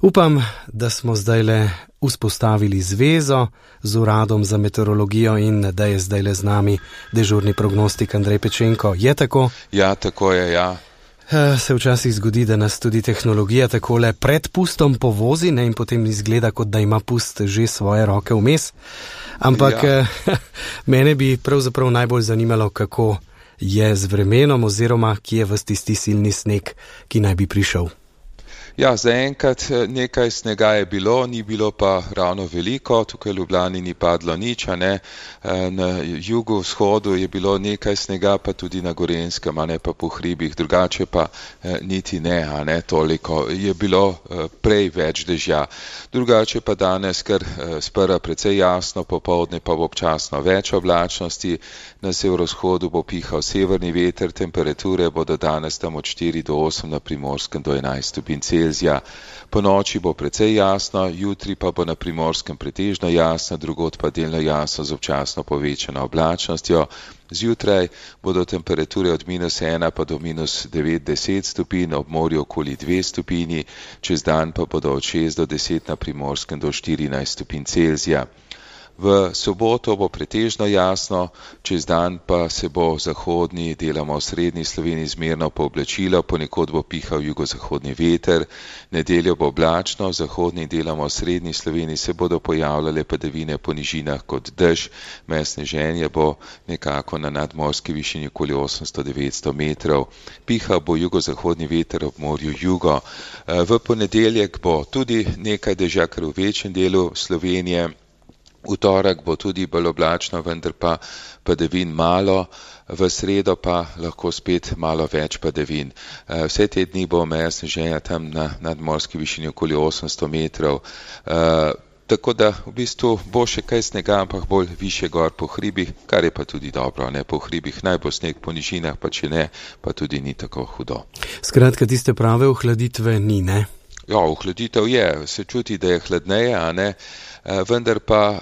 Upam, da smo zdajle vzpostavili zvezo z Uradom za meteorologijo in da je zdajle z nami dežurni prognostik Andrej Pečenko. Je tako? Ja, tako je, ja. Se včasih zgodi, da nas tudi tehnologija takole pred pustom povozi, ne, in potem izgleda, kot da ima pust že svoje roke vmes. Ampak mene bi pravzaprav najbolj zanimalo, kako je z vremenom oziroma kje je ves tisti silni sneg, ki naj bi prišel. Ja, zaenkrat nekaj snega je bilo, ni bilo pa ravno veliko, tukaj v Ljubljani ni padlo nič, a ne. Na jugovzhodu je bilo nekaj snega, pa tudi na Gorenjskem, a ne, pa po hribih, drugače pa niti ne, a ne, toliko. Je bilo prej več dežja. Drugače pa danes, ker sprva precej jasno, popoldne pa bo občasno več oblačnosti, na severovzhodu bo pihal severni veter, temperature bodo danes tam od 4 do 8, na Primorskem do 11 stopinj Celzija. Po noči bo precej jasno, jutri pa bo na Primorskem pretežno jasno, drugod pa delno jasno z občasno povečano oblačnostjo. Zjutraj bodo temperature od -1 pa do -9-10 stopinj, ob morju okoli 2 stopinji, čez dan pa bodo od 6 do 10 na Primorskem do 14 stopinj Celzija. V soboto bo pretežno jasno, čez dan pa se bo v zahodni, deloma v srednji Sloveniji zmerno pooblačilo, ponekod bo pihal jugozahodni veter, nedeljo bo oblačno, v zahodni, deloma v srednji Sloveniji se bodo pojavljale padavine po nižinah kot dež, sneženje bo nekako na nadmorski višini okoli 800-900 metrov, pihal bo jugozahodni veter ob morju jugo. V ponedeljek bo tudi nekaj dežja, kar v večjem delu Slovenije. V torek bo tudi bolj oblačno, vendar pa padavin malo, v sredo pa lahko spet malo več padavin. Vse te dni bo meja sneženja tam na nadmorski višini okoli 800 metrov. Tako da v bistvu bo še kaj snega, ampak bolj više gor po hribih, kar je pa tudi dobro, ne, po hribih naj bo sneg, po nižinah pa če ne, pa tudi ni tako hudo. Skratka, tiste prave ohladitve ni, ne? Ja, ohladitev je, se čuti, da je hladneje, a ne, vendar pa...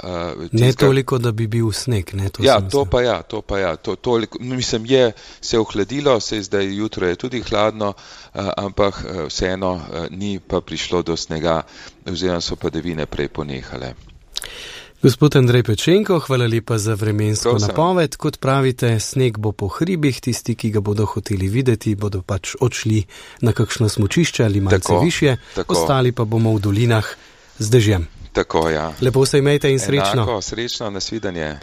Ne toliko, da bi bil sneg, ne? To pa ja, toliko, mislim, je se ohladilo, se zdaj jutro je tudi hladno, ampak vseeno ni pa prišlo do snega, oziroma so padavine prej ponehale. Gospod Andrej Pečenko, hvala lepa za vremensko napoved. Kot pravite, sneg bo po hribih, tisti, ki ga bodo hoteli videti, bodo pač odšli na kakšno smučišče ali malce višje, ostali pa bomo v dolinah z dežjem. Tako, ja. Lepo se imejte in srečno. Enako, srečno, nasvidenje.